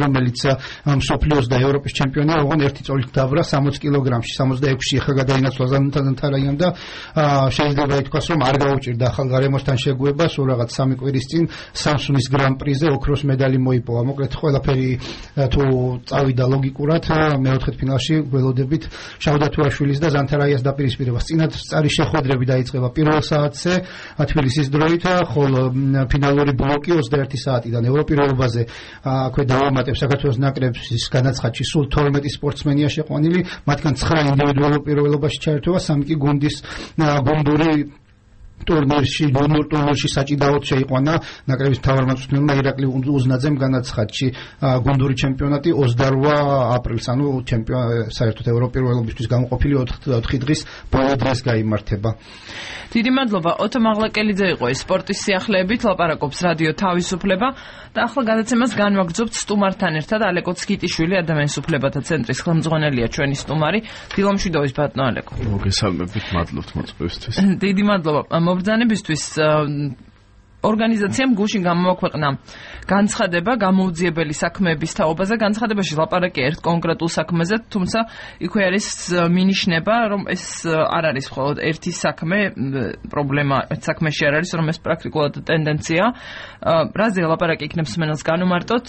რომელიც მსოფლიოს და ევროპის ჩემპიონია, ოღონდ ერთი წოლით დაბრა 60 კილოგრამში, 66-ში ახლა გადაინაცვლა ზანთარაიამ და შეიძლება ითქვას, რომ არ გაუჭირდა ახალ გარემოსთან შეგუებას, რაღაც 3 კვირის წინ Samsung-ის გრან-პრიზე ოქროს მედალი მოიპოვა. მოკლედ ყველაფერი თუ წავიდა ლოგიკურად, მეოთხედფინალში გველოდებით შავდათუაშვილის და ზანთარაიას დაპირისპირებას. წინასწარი შეხვედრები დაიწყება პირველ საათზე თბილისის დროით, ხოლო ფინალური ბლოკი 21 საათიდან ევროპიროებაზე აქვე დავამატებ საქართველოს ნაკრების განაცხადში სულ 12 სპორტსმენია შეყვანილი, მათგან 9 ინდივიდუალურ პირველობაში ჩაერთვება, 3 კი გუნდური ტურნირში საჭიდაოდ შეიყვანა ნაკრების მთავარმწვრთნელმა ირაკლი უზნაძემ განაცხადში. გუნდური ჩემპიონატი 28 აპრილს, ანუ საერთოდ ევროპიროებისთვის გამოყოფილი 4 დღის ბოლო დღეს გაიმართება. დიდი მადლობა. ოთო მაღლაკელიძე იყო ეს სპორტის სიახლეებით ლაპარაკობს რადიო თავისუფლება და ახლა გადაცემას განვაგრძობთ სტუმართან ერთად. ალეკო ცგიტიშვილი, ადამიანის უფლებათა ცენტრის ხელმძღვანელია ჩვენი სტუმარი. დილომშვიდობის ბატონო ალეკო. მოგესალმებით, მადლობთ მოწვევისთვის. დიდი მადლობა. მობრძანებისთვის ორგანიზაციამ გუშინ გამოაქვეყნა განცხადება გამოუძიებელი საქმეების თაობაზე. განცხადებაში ლაპარაკია ერთ კონკრეტულ საქმეზე, თუმცა იქვე არის მინიშნება, რომ ეს არ არის მხოლოდ ერთი საქმე, პრობლემა საქმეში არ არის, რომ ეს პრაქტიკულად ტენდენცია. რაზე ლაპარაკი იქნებს მსმენელს განუმარტოთ,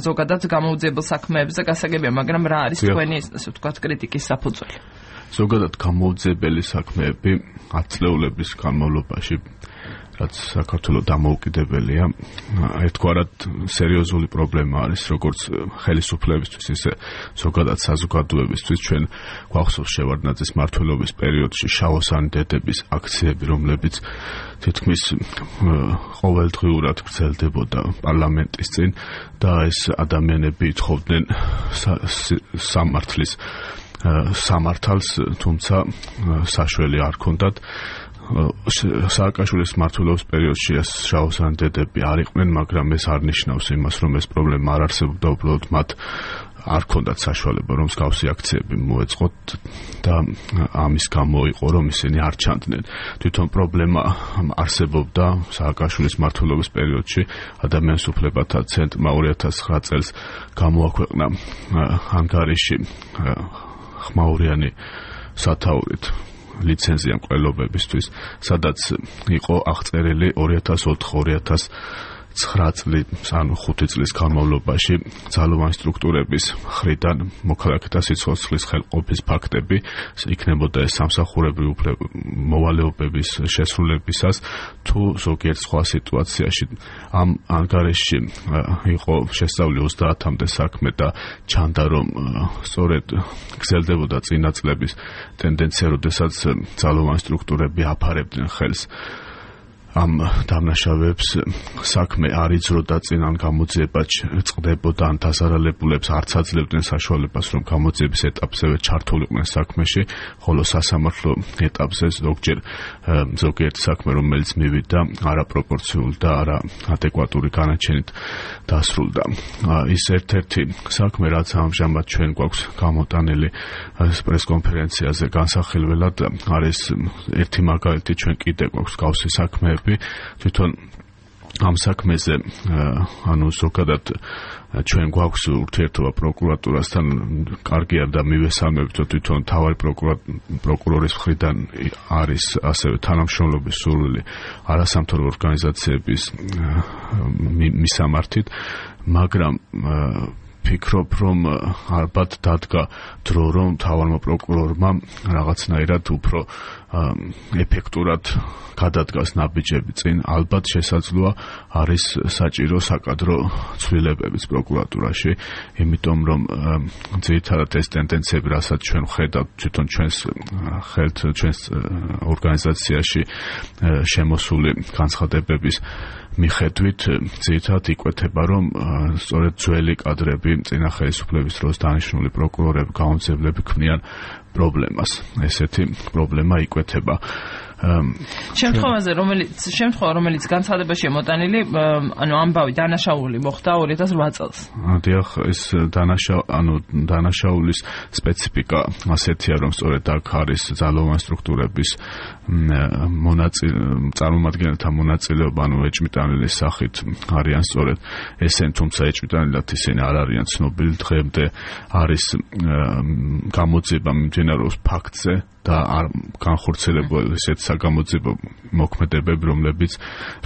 ზოგადად გამოუძიებელ საქმეებზე გასაგებია, მაგრამ რა არის თქვენი, ასე ვთქვათ, კრიტიკის საფუძველი? ზოგადად გამოუძიებელი საქმეები 10 წლეულების განმავლობაში, რაც საქართველოს დამოუკიდებელია, ერთგვარად სერიოზული პრობლემა არის, როგორც ხელისუფლებისთვის, ისე ზოგადად საზოგადოებისთვის. ჩვენ გვახსოვს შევარდნაძის მმართველობის პერიოდში შავოსანი დედების აქციები, რომლებიც თითქმის ყოველდღიურად გრძელდებოდა პარლამენტის წინ და ეს ადამიანები ითხოვდნენ სამართალს, თუმცა საშველი არ ქონდათ. სააკაშვილის მმართველობის პერიოდში შავოსანი დედები არ იყვნენ, მაგრამ ეს არ ნიშნავს იმას, რომ ეს პრობლემა არ არსებობდა, უბრალოდ მათ არ ქონდათ საშუალება, რომ მსგავსი აქციები მოეწყოთ და ამის გამო იყო, რომ ისინი არ ჩანდნენ. თვითონ პრობლემა არსებობდა სააკაშვილის მმართველობის პერიოდში. ადამიანის უფლებათა ცენტრმა 2009 წელს გამოაქვეყნა ანგარიში ხმაურიანი სათაურით ლიცენზია მკვლელობებისთვის, სადაც იყო აღწერილი 2004-2009 ანუ 5 წლის განმავლობაში ძალოვანი სტრუქტურების მხრიდან მოქალაქეთა სიცოცხლის ხელყოფის ფაქტები. იქნებოდა ეს სამსახურებრივი მოვალეობების შესრულებისას თუ ზოგიერთ სხვა სიტუაციაში. ამ ანგარიშში იყო შესწავლილი 30-მდე საქმე და ჩანდა, რომ სწორედ გრძელდებოდა წინა წლების ტენდენცია, როდესაც ძალოვანი სტრუქტურები აფარებდნენ ხელს ამ დამნაშავეებს, საქმე არ იძროდა წინ, ან გამოძიება წყდებოდა, ან დასარალებულებს არც აძლევდნენ საშუალებას, რომ გამოძიების ეტაპზევე ჩართულიყვნენ საქმეში, ხოლო სასამართლო ეტაპზე ზოგიერთ საქმე, რომელიც მივიდა არაპროპორციული და არაადეკვატური განაჩენით დასრულდა. ის ერთ-ერთი საქმე, რაც ამჟამად ჩვენ გვაქვს გამოტანილი პრესკონფერენციაზე განსახილველად, არის ერთი მაგალითი. ჩვენ კიდე გვაქვს გავსი საქმეები. თვითონ ამ საქმეზე, ანუ ზოგადად ჩვენ გვაქვს ურთიერთობა პროკურატურასთან, კარგი არ და მივესალმებით, რომ თვითონ თავარი პროკურორის მხრიდან არის ასევე თანამშრომლობის სურვილი არასამთავრობო ორგანიზაციების მისამართით, მაგრამ ვფიქრობ, რომ ალბათ დადგა დრო, რომ თავარმა პროკურორმა რაღაცნაირად უფრო ეფექტურად გადადგას ნაბიჯები წინ. ალბათ შესაძლოა არის საჭირო საკადრო ცვლილებებიც პროკურატურაში, იმიტომ რომ ძირითადად ეს ტენდენციები, რასაც ჩვენ ვხედავთ თვითონ ჩვენს ორგანიზაციაში შემოსული განცხადებების მიხედვით, ძირითადად იკვეთება, რომ სწორედ ძველი კადრები, წინა ხელისუფლების დროს დანიშნული პროკურორები, გამომძიებლები ქმნიან პრობლემას. ესეთი პრობლემა იკვეთება. შემთხვევა რომელიც განცხადებაშია მოტანილი, ანუ ამბავი დანაშაული მოხდა 2008 წელს. დიახ, ეს დანაშაულის სპეციფიკა ასეთია, რომ სწორედ აქ არის ძალოვანი სტრუქტურების წარმომადგენელთა მონაწილეობა, ანუ ეჭვმიტანილის სახით არიან სწორედ ესენ, თუმცა ეჭვმიტანილად ისინი არ არიან ცნობილი. დღემდე არის გამოძიება მიმდინარეობს ფაქტზე და არ განხორციელებული ისეთ საგამოძიებო მოქმედებები,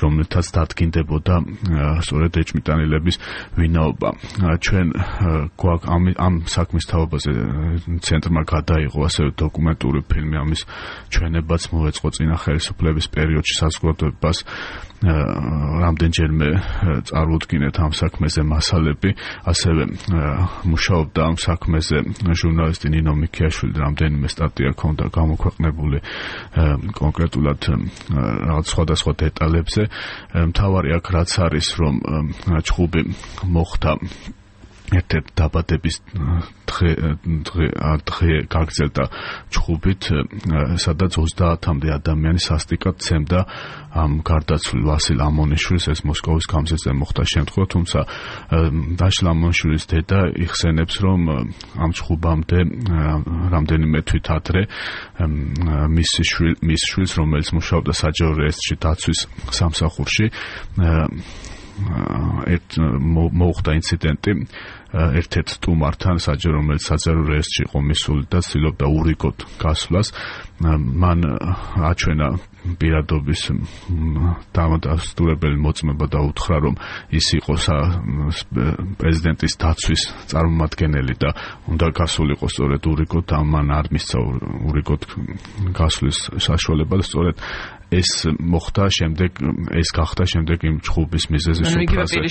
რომლითაც დადგინდებოდა სწორედ ეჭვმიტანილების ვინაობა. ჩვენ გვაქვს ამ საქმის თავობაზე ცენტრმა გადაიღო ასევე დოკუმენტური ფილმი, ამის ჩვენებაც მოეწყო წინა ხელისუფლების პერიოდში საზოგადოებას რამდენჯერმე წარუდგინეთ ამ საქმეზე მასალები, ასევე მუშაობდა ამ საქმეზე ჟურნალისტი ნინო მიქიაშვილი, რამდენიმე სტატია ჰქონდა გამოქვეყნებული კონკრეტულად რაღაც სხვადასხვა დეტალებზე. მთავარი აქ რაც არის, რომ ჩხუბი მოხდა ერთ-ერთ დაბადების დღე გაგრძელდა ჩხუბით, სადაც 30-მდე ადამიანი სასტიკად ცემდა ამ გარდაცვლილ ვასილ ამონიშვილს. ეს მოსკოვის გამზირზე მოხდა შემთხვევა, თუმცა დაშლ ამონიშვილის დედა იხსენებს, რომ ამ ჩხუბამდე რამდენიმე თვით ადრე მის შვილს, რომელიც მუშაობდა საჯარო რეესტრში დაცვის სამსახურში, მოუხდა ინციდენტი ერთ-ერთ სტუმართან, რომელიც საჯარო რეესტრში იყო მისული და ცდილობდა ურიგოდ გასვლას. მან აჩვენა პირადობის დამადასტურებელი მოწმობა და უთხრა, რომ ის იყო პრეზიდენტის დაცვის წარმომადგენელი და უნდა გასულიყო სწორედ ურიგოდ. მან არ მისცა ურიგოდ გასვლის საშუალება და სწორედ ეს მოხდა შემდეგ, ეს გახდა შემდეგ იმ ჩხუბის მიზეზი სუფრაზე.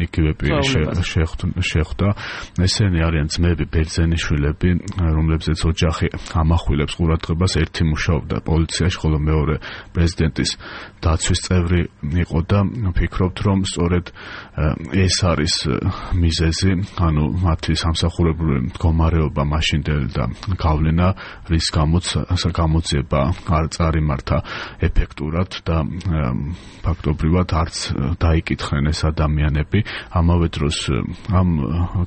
იგივე პირი შეხვდა. ესენი არიან ძმები ბერძენიშვილები, რომლებზეც ოჯახი ამახვილებს ყურადღებას. ერთი მუშაობდა პოლიციაში, ხოლო მეორე პრეზიდენტის დაცვის წევრი იყო და ვფიქრობთ, რომ სწორედ ეს არის მიზეზი, ანუ მათი სამსახურებრივი მდგომარეობა მაშინდელი და გავლენა, რის გამოც გამოძიება არ წარიმართა ეფექტურად და ფაქტობრივად არც დაიკითხნენ ეს ადამიანები. ამავე დროს ამ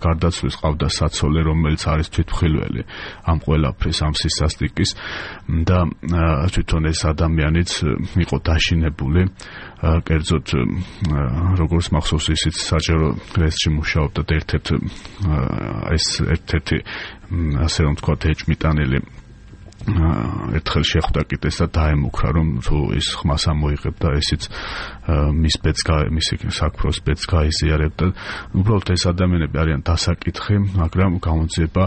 გარდაცვლის ყავდა საცოლე, რომელიც არის თვითმხილველი ამ ყველაფრის, ამ სისასტიკის და თვითონ ეს ადამიანიც იყო დაშინებული. კერძოდ როგორც მახსოვს, ისიც საჯარო რეესტრში მუშაობდა და ერთ-ერთი ასე რომ თქვათ ეჭვმიტანილი ერთხელ შეხვდა კიდეს და დაემუქრა, რომ თუ ის ხმას ამოიღებდა, ესიც მისი საქმროს ბედს გაიზიარებდა. უბრალოდ ეს ადამიანები არიან დასაკითხი, მაგრამ გამოძიება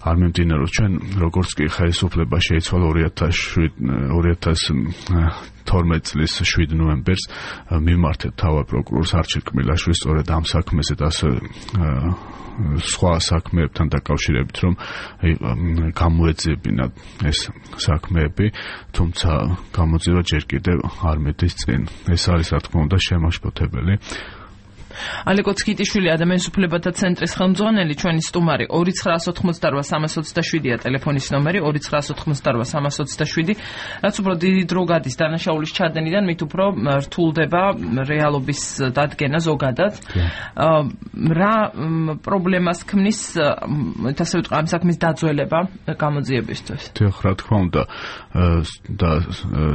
არ მიმდინარეობს. ჩვენ როგორც კი ხელისუფლება შეიცვალა 2012 წლის 7 ნოემბერს მიმართეთ თავად პროკურორს არჩილ კმილაშვილს სწორედ ამ საქმეზე და სხვა საქმეებთან დაკავშირებით, რომ გამოეძიებინათ ეს საქმეები, თუმცა გამოძიება ჯერ კიდევ არ მედის წინ. ეს არის, რა თქმა უნდა, შემაშფოთებელი. ალეკო ცკიტიშვილი, ადამიანის უფლებათა ცენტრის ხელმძღვანელი, ჩვენი სტუმარი. 2988-327-ია ტელეფონის ნომერი, 2988-327, რაც უფრო დიდი დრო გადის დანაშაულის ჩადენიდან, მით უფრო რთულდება რეალობის დადგენა ზოგადად. რა პრობლემას ქმნის, ასე ვიტყვი, ამ საქმის დაძველება გამოძიებისთვის? დიახ, რა თქმა უნდა, და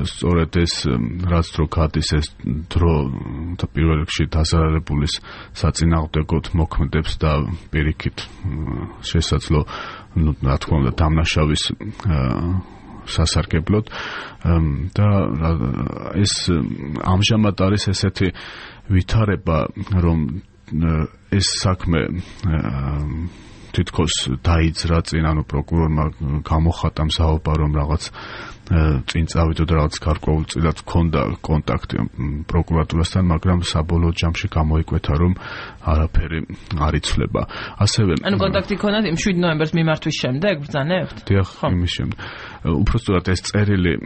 სწორედ ეს რაც დრო გადის, ეს დრო და პირველ რიგში დაზარალებული საწინააღმდეგოდ მოქმედებს და პირიქით შესაძლო, რა თქმა უნდა, დამნაშავის სასარგებლოდ და ეს ამჟამად არის ესეთი ვითარება, რომ ეს საქმე თითქოს დაიძრა წინ, ანუ პროკურორმა გამოხატა მზაობა, რომ რაღაც წინ წავიდო და რაღაც გარკვეულწილად ჰქონდა კონტაქტი პროკურატურასთან, მაგრამ საბოლოო ჯამში გამოიკვეთა, რომ არაფერი არ იცვლება. ასევე ანუ კონტაქტი ჰქონდათ იმ 7 ნოემბერს მიმართვის შემდეგ, ბრძანებთ? დიახ, იმის შემდეგ. უпростоრად ეს წერილი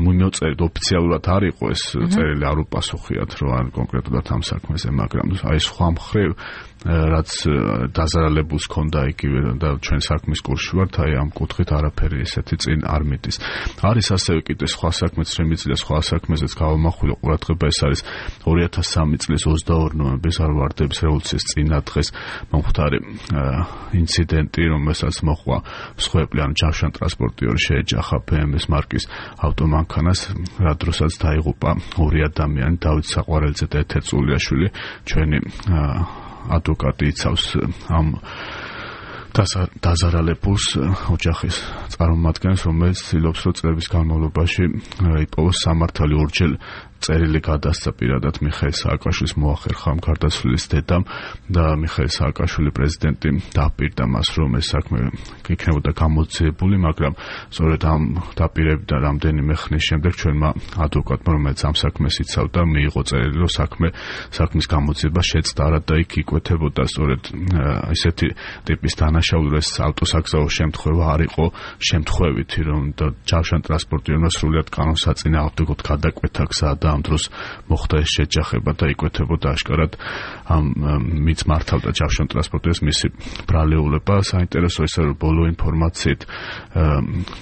მიმოწერით ოფიციალურად არ იყო, ეს წერილი არ უპასუხიათ, რომ არ კონკრეტულად ამ საქმეზე, მაგრამ აი სხვა მხრივ რაც დაზარალებულს ჰქონდა იგივე და ჩვენ საქმის კურსში ვართ, აი ამ კუთხით არაფერი ესეთი წინ არ მიდის. არის ასევე კიდე სხვა საქმეც, შემიძლია სხვა საქმეზეც გავამახვილო ყურადღება, ეს არის 2003 წლის 22 ნოემბრის ვარდების რევოლუციის წინადღეს მომხდარი ინციდენტი, რომელსაც მოჰყვა მსხვერპლი ან ჯავშან ტრანსპორტიორი შეეჯახა BMW მარკის ავტომანქანას, რა დროსაც დაიღუპა ორი ადამიანი, დავით საყვარელიძე და ეთერ წულიაშვილი. ჩვენი ადვოკატი იცავს ამ დაზარალებულს ოჯახის წარმომადგენელს, რომელიც ცდილობს, რომ წლების განმავლობაში იპოვოს სამართალი. ორჯერ წერილი გადასცა პირადად მიხეილ სააკაშვილის მოახერხა ამ გარდაცვლილის დედამ და მიხეილ სააკაშვილი პრეზიდენტი დაპირდა მას, რომ ეს საქმე იქნებოდა გამოძიებული, მაგრამ სწორედ ამ დაპირებიდან რამდენიმე ხნის შემდეგ ჩვენმა ადვოკატმა, რომელიც ამ საქმეს იცავდა, მიიღო წერილი, რომ საქმის გამოძიება შეწყდა, არადა იქ იკვეთებოდა სწორედ ისეთი ტიპის დანაშაული, ეს ავტოსაგზაო შემთხვევა არ იყო შემთხვევითი, რომ ჯავშან ტრანსპორტიორმა სრულად კანონსაწინააღმდეგოდ გადაკვეთა გზა და ამ დროს მოხდა ეს შეჯახება და იკვეთებოდა აშკარად ამ მის მართავდა ჯავშან ტრანსპორტიორს მისი ბრალეულება. საინტერესო ისე რომ ბოლო ინფორმაციით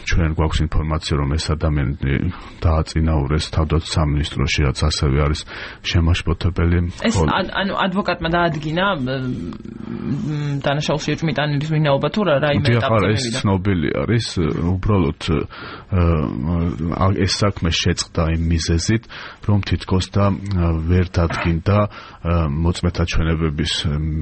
ჩვენ გვაქვს ინფორმაცია, რომ ეს ადამიანი დააწინაურეს თავდაცვის სამინისტროში, რაც ასევე არის შემაშფოთებელი. ეს ანუ ადვოკატმა დაადგინა დანაშაულში ეჭვმიტანილის ვინაობა თუ რაიმე ეტაპზე ეს ცნობილი არის, უბრალოდ ეს საქმე შეწყდა იმ მიზეზით, რომ თითქოს და ვერ დადგინდა მოწმეთა ჩვენებების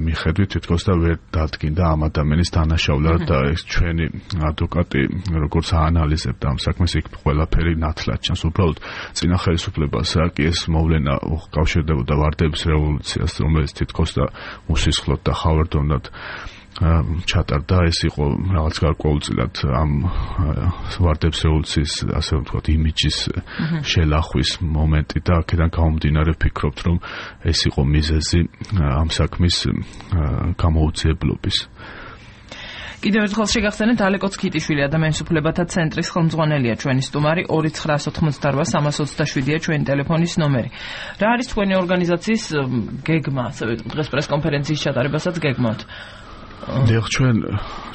მიხედვით, თითქოს და ვერ დადგინდა ამ ადამიანის დანაშაულა და ეს ჩვენი ადვოკატი როგორც აანალიზებდა ამ საქმეს, იქ ყველაფერი ნათლად ჩანს. უბრალოდ წინა ხელისუფლებას რა კი ეს მოვლენა უკავშირდებოდა ვარდების რევოლუციას, რომელიც თითქოს და უსისხლოდ და ხავერდოვნად ჩატარდა, ეს იყო რაღაც გარკვეულწილად ამ ვარდების რევოლუციის, ასე ვთქვათ, იმიჯის შელახვის მომენტი და აქედან გამომდინარე ვფიქრობთ, რომ ეს იყო მიზეზი ამ საქმის გამოუძიებლობის. კიდევ ერთხელ შეგახსენეთ, ალეკო ცქიტიშვილი ადამიანის უფლებათა ცენტრის ხელმძღვანელია ჩვენი სტუმარი, 2988-327-ია ჩვენი ტელეფონის ნომერი. რა არის თქვენი ორგანიზაციის გეგმა, ასევე დღეს პრესკონფერენციის ჩატარებასაც გეგმავთ? დიახ, ჩვენ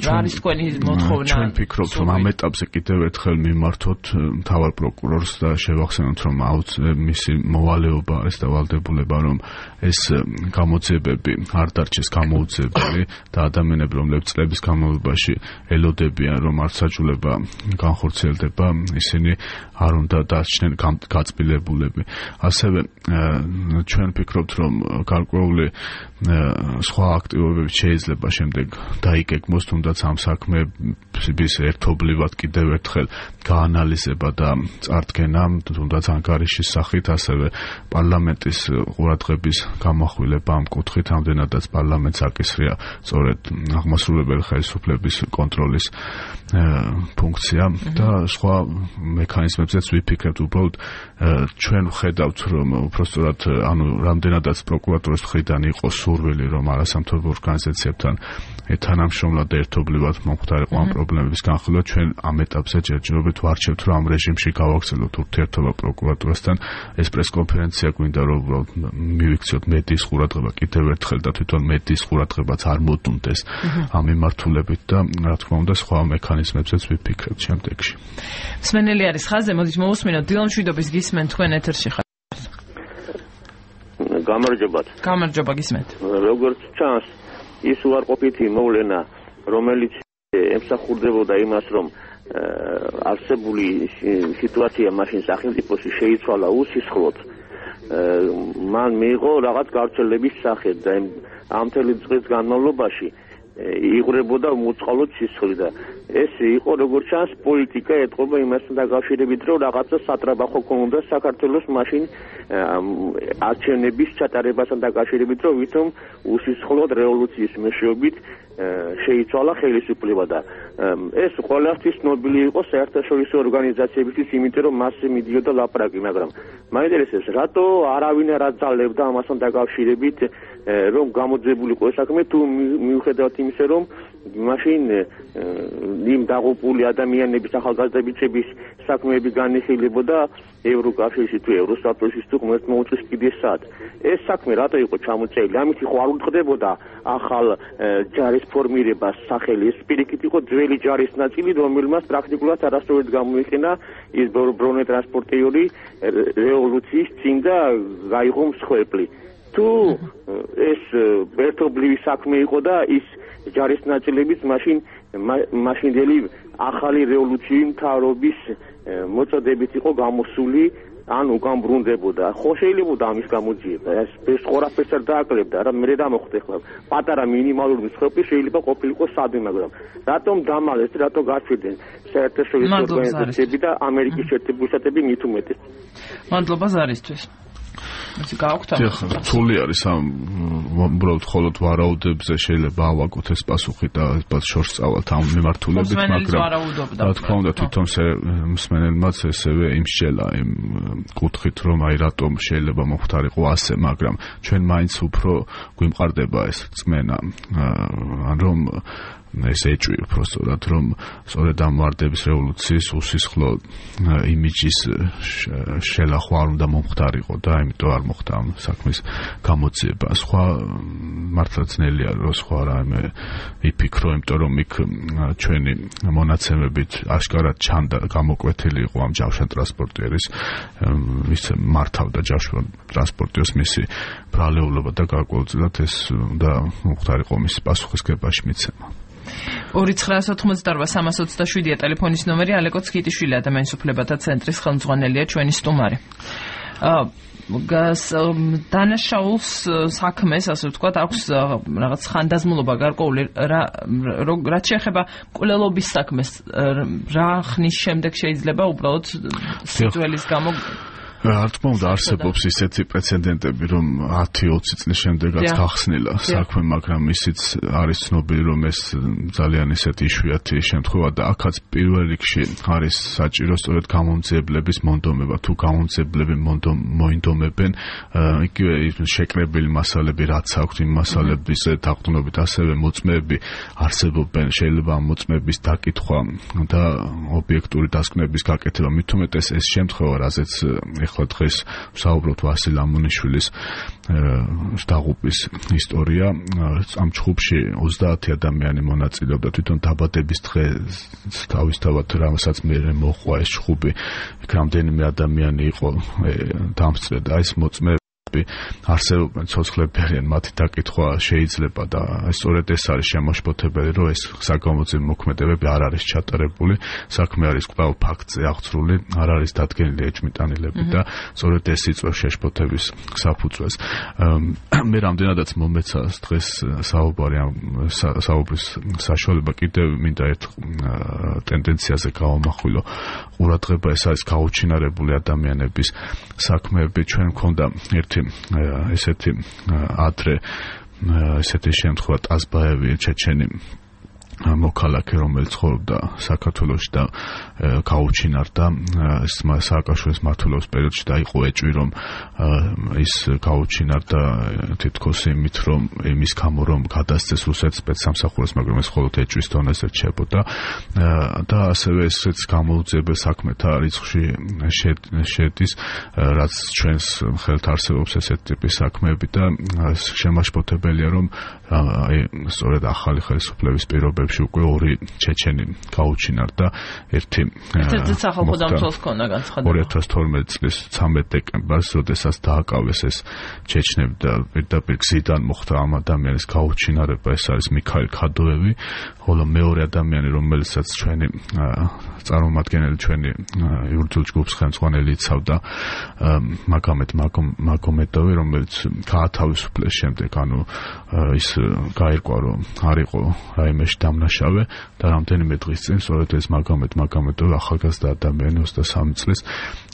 არის თქვენი მოთხოვნა. ჩვენ ვფიქრობთ, რომ ამ ეტაპზე კიდევ ერთხელ მიმართოთ მთავარ პროკურორს და შევახსენოთ, რომ მისი მოვალეობა არის დავალდებულება, რომ ეს გამოძიებები არ დარჩეს გამოუძიებელი და ადამიანები, რომლებიც წლების განმავლობაში ელოდებიან, რომ არცაჯულება განხორციელდება, ისინი არ უნდა დარჩნენ გაწმილებულები. ასევე ჩვენ ვფიქრობთ, რომ გარკვეული სხვა აქტივობები შეიძლება შემდეგ დაიგეგმოს, თუნდაც ამ საქმების ერთობლივად კიდევ ერთხელ გაანალიზება და წარდგენა, თუნდაც ანგარიშის სახით, ასევე პარლამენტის ყურადღების გამახვილება ამ კუთხით, ამდენადაც პარლამენტს აკისრია სწორედ აღმასრულებელი ხელისუფლების კონტროლის ფუნქცია და სხვა მექანიზმებზეც ვიფიქრებთ. უბრალოდ ჩვენ ვხედავთ, რომ უბრალოდ ანუ რამდენადაც პროკურატურის მხრიდან იყო სურვილი, რომ არასამთავრობო ორგანიზაციებთან თანამშრომლად და ერთობლივად მომხდარიყო ამ პრობლემების განხილვა, ჩვენ ამ ეტაპზე ჯერჯერობით ვარჩევთ, რომ ამ რეჟიმში გავაგრძელოთ ურთიერთობა პროკურატურასთან. ეს პრესკონფერენცია გვინდა, რომ უბრალოდ მივიქციოთ მედიის ყურადღება კიდევ ერთხელ და თვითონ მედიის ყურადღებაც არ მოდუნდეს ამ მიმართულებით და რა თქმა უნდა სხვა მექანიზმებზეც ვიფიქრებთ შემდეგში. მსმენელი არის ხაზზე, მოდით მოვუსმინოთ. დილა მშვიდობის გისმენთ, თქვენ ეთერში ხართ. გამარჯობათ. გამარჯობა, გისმენთ. როგორც ჩანს, ის უარყოფითი მოვლენა, რომელიც ემსახურდებოდა იმას, რომ არსებული სიტუაცია მაშინ სახელმწიფოში შეიცვალა უსისხლოდ, მან მიიღო რაღაც გავრცელების სახე და ამ მთელი წლის განმავლობაში იღვრებოდა მოწყალოდ სისხლი და ეს იყო როგორც ჩანს პოლიტიკა ეთყობა იმასთან დაკავშირებით, რომ რაღაცა სატრაბახო ქონდა საქართველოს მაშინ არჩევნების ჩატარებასთან დაკავშირებით, რომ ვითომ უსისხლოდ რევოლუციის მეშვეობით შეიცვალა ხელისუფლება და ეს ყველასთვის ცნობილი იყო საერთაშორისო ორგანიზაციებისთვის, იმიტომ რომ მასზე მიდიოდა ლაპარაკი, მაგრამ მაინტერესებს, რატო არავინ არ აძალებდა ამასთან დაკავშირებით, რომ გამოძიებულიყო ეს საქმე, თუ მიუხედავად იმისა, რომ მაშინ იმ დაღუპული ადამიანების ახალგაზრდებების საქმეები განიხილებოდა ევროკავშირში თუ ევროსაბჭოში თუ ღმერთმა უწვის კიდეს სად. ეს საქმე რატო იყო ჩამოწერილი? ამით ხო არ უთხრდებოდა ახალ ჯარის ფორმირებას სახელი. ეს პირიქით იყო ძველი ჯარის ნაწილი, რომელმაც პრაქტიკულად არასდროს გამოიყენა ის ბრონეტრანსპორტიორი რევოლუციის წინ და გაიღო მსხვერპლი. თუ ეს ერთობლივი საქმე იყო და ის ჯარის ნაწილებიც მაშინდელი ახალი რევოლუციური მთავრობის მოწოდებით იყო გამოსული, ან უკან ბრუნდებოდა. ხო შეიძლება ამის გამოძიება. ეს ყველაფერს არ დააკლებდა, რა მე დამოხვდე ხლა. პატარა მინიმალური მსხვერპლი შეიძლება ყოფილიყო სადმე, მაგრამ რატომ დამალეს, რატო გაჩვიდენ საერთაშორისო ორგანიზაციები და ამერიკის შეერთებული შტატები მით უმეტეს. მადლობა ზარისთვის. ისე გააქვთ რთული არის ამ უბრალოდ მხოლოდ ვარაუდებზე შეიძლება ავაგოთ ეს პასუხი და შორს წავალთ ამ მიმართულებით, მაგრამ რა თქმა უნდა თვითონ მსმენელმაც ესევე იმსჯელა იმ კუთხით, რომ აი რატომ შეიძლება მოხდარიყო ასე, მაგრამ ჩვენ მაინც უფრო გვიმყარდება ეს წმენა, ან რომ ეს ეჭვი უბრალოდ რომ სწორედ ამ ვარდების რევოლუციის უსისხლო იმიჯის შელახვა არ უნდა მომხდარიყო და ამიტომ არ მოხდა ამ საქმის გამოძიება. სხვა მართლა ძნელია რომ სხვა რამე იფიქრო, იმიტომ რომ იქ ჩვენი მონაცემებით აშკარად ჩანდა გამოკვეთილი იყო ამ ჯავშან ტრანსპორტიერის ის მართავდა ჯავშან ტრანსპორტიერის მისი ბრალეულობა და გარკვეულწილად ეს უნდა მომხდარიყო მის პასუხისგებაში მიცემა. 2988-327 ტელეფონის ნომერი. ალეკო ცქიტიშვილი, ადამიანის უფლებათა ცენტრის ხელმძღვანელია, ჩვენი სტუმარი. დანაშაულს საქმეს, ასე ვთქვათ, აქვს რაღაც ხანდაზმულობა გარკვეული, რაც შეეხება მკვლელობის საქმეს, რა ხნის შემდეგ შეიძლება უბრალოდ სიძველის გამო რა თქმა უნდა არსებობს ისეთი პრეცედენტები, რომ 10-20 წლის შემდეგაც გახსნილა საქმე, მაგრამ ისიც არის ცნობილი, რომ ეს ძალიან ისეთი იშვიათი შემთხვევა და აქაც პირველ რიგში არის საჭირო სწორედ გამომძიებლების მონდომება. თუ გამომძიებლები მოინდომებენ, იგივე შეკრებილი მასალები რაც აქვთ, იმ მასალების დაყრდნობით ასევე მოწმეები არსებობენ, შეიძლება ამ მოწმეების დაკითხვა და ობიექტური დასკვნების გაკეთება. მით უმეტეს ეს შემთხვევა, რაზეც დღეს ვსაუბრობთ ვასილ ამონიშვილის დაღუპვის ისტორია. ამ ჯგუფში 30 ადამიანი მონაწილეობდა. თვითონ დაბადების დღეს თავისთავად რასაც მე მოხვა ეს ჯგუფი, იქ რამდენიმე ადამიანი იყო დამსწრე და ეს მოწმე არსებობენ ცოცხლებიან, მათი დაკითხვა შეიძლება და სწორედ ეს არის შემოშფოთებელი, რომ ეს საგამოძიებო მოქმედებები არ არის ჩატარებული, საქმე არის კვლავ ფაქტზე აღწრული, არ არის დადგენილი ეჭვმიტანილები და სწორედ ეს იწვევს შეშფოთების საფუძველს. მე რამდენადაც მომეცა დღეს საუბრის საშუალება, კიდევ მინდა ერთ ტენდენციაზე გავამახვილო ყურადღება, ეს არის გაუჩინარებული ადამიანების საქმეები. ჩვენ მქონდა ერთი ესეთი ადრე ესეთი შემთხვევა, ტაზბაევი ჩეჩენი მოქალაქე, რომელიც ცხოვრობდა საქართველოში და გაუჩინარდა სააკაშვილის მმართველობის პერიოდში და იყო ეჭვი, რომ ის გაუჩინარდა თითქოს იმით, რომ იმის გამო რომ გადასცეს რუსეთის სპეცსამსახურეს, მაგრამ ეს მხოლოდ ეჭვის დონეზე რჩებოდა და ასევე ესეც გამოუძიებელ საქმეთა რიცხვში შედის, რაც ჩვენს ხელთ არსებობს ესეთი ტიპის საქმეები და შემაშფოთებელია, რომ სწორედ ახალი ხელისუფლების პირობებში უკვე ორი ჩეჩენი გაუჩინარდა. ერთი სახელმწიფოს ქონა განცხადება 2012 წლის 13 დეკემბერს, როდესაც დააკავეს ეს ჩეჩნები და პირდაპირ გზიდან მოხდა ამ ადამიანის გაუჩინარება, ეს არის მიქაილ ქადოევი. ხოლო მეორე ადამიანი, რომელსაც ჩვენი წარმომადგენელი, ჩვენი იურიდიულ ჯგუფს ხელმძღვანელი იცავდა, მაგომედოვი, რომელიც გაათავისუფლეს შემდეგ, ანუ ის გაირკვა, რომ არ იყო რაიმეში დამნაშავე და რამდენიმე დღის წინ სწორედ ეს მაგომედოვი ახალგაზრდა ადამიანი 23 წლის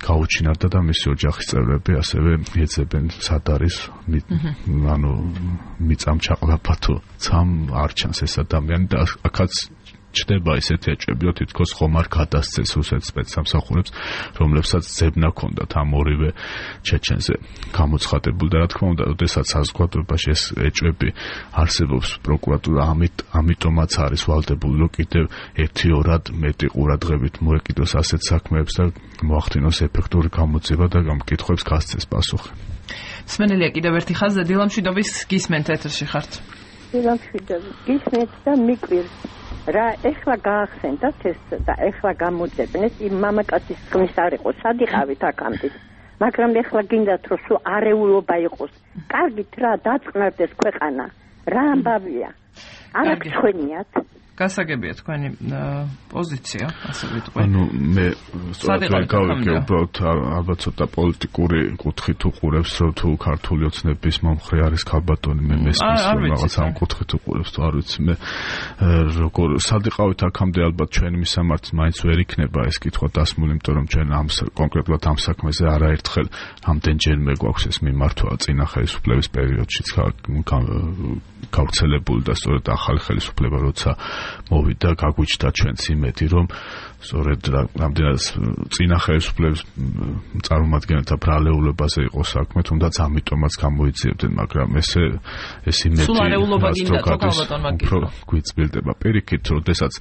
გაუჩინარდა და მისი ოჯახის წევრები ასევე ეძებენ სად არის, ანუ მიწამ ჩაყლაფა თუ ცამ არ ჩანს ეს ადამიანი და აქაც ჩდება ესეთი ეჭვები, რომ თითქოს ხომ არ გადასცეს რუსეთის სპეცსამსახურებს, რომლებსაც ძებნა ჰქონდათ ამ ორივე ჩეჩენზე გამოცხადებული და რა თქმა უნდა, ოდესაც საზოგადოებაში ეს ეჭვები არსებობს, პროკურატურა ამიტომაც არის ვალდებული, რომ კიდევ 1-2 მეტი ყურადღებით მოეკიდოს ასეთ საქმეებს და მოახდინოს ეფექტური გამოძიება და ამ კითხვებს გასცეს პასუხი. სმენელია კიდევ ერთი ხაზი დილამშვიდობის გისმენთ ეთერში ხართ. დილამშვიდობის გისმენთ და მიკვირს რა ეხლა გაახსენდათ ეს და ეხლა გამოძებნეს იმ მამაკაცის ხმის არ იყო სად იყავით აქამდე მაგრამ ეხლა გინდათ რომ სულ არეულობა იყოს კარგით რა დაწყნარდეს ქვეყანა რა ამბავია არ აღწვენიათ გასაგებია თქვენი პოზიცია, ასე ვიტყვი. ანუ მე სწორედ გავიგე უბრალოდ ალბათ ცოტა პოლიტიკური კუთხით უყურებს, რომ თუ ქართული ოცნების მომხრე არის ქალბატონი, მე მესმის რომ რაღაც ამ კუთხით უყურებს, თუ არ ვიცი მე როგორ სადიყავით აქამდე ალბათ ჩვენი მისამართი მაინც ვერ იქნება ეს კითხვა დასმული, იმიტომ რომ ჩვენ ამ კონკრეტულად ამ საქმეზე არაერთხელ ამდენჯერმე გვაქვს ეს მიმართვა წინა ხელისუფლების პერიოდშიც გავრცელებული და სწორედ ახალი ხელისუფლება როცა მოვიდა გაგვიჩნდა ჩვენც იმედი რომ სწორედ რამდენად წინა ხელისუფლების წარმომადგენელთა ბრალეულებაზე იყო საქმე, თუნდაც ამიტომაც გამოიძიებდნენ, მაგრამ ეს იმედი სულ არეულობა გინდა თუ ქალბატონმა უფრო გვიწმილდება პირიქით, როდესაც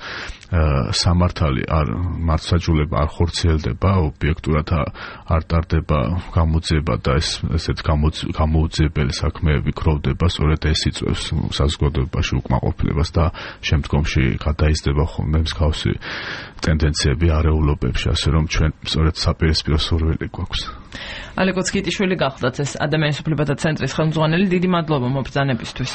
სამართალი არ მართლმსაჯულება არ ხორციელდება, ობიექტურად არ ტარდება გამოძიება და ესეთ გამოუძიებელი საქმეები გროვდება, სწორედ ეს იწვევს საზოგადოებაში უკმაყოფილებას და შემდგომში გადაიზრდება ხოლმე მსგავსი ტენდენციები არეულობებში, ასე რომ ჩვენ სწორედ საპირისპირო სურვილი გვაქვს. ალეკო ცკიტიშვილი გახლდათ ეს ადამიანის უფლებათა ცენტრის ხელმძღვანელი, დიდი მადლობა მობრძანებისთვის.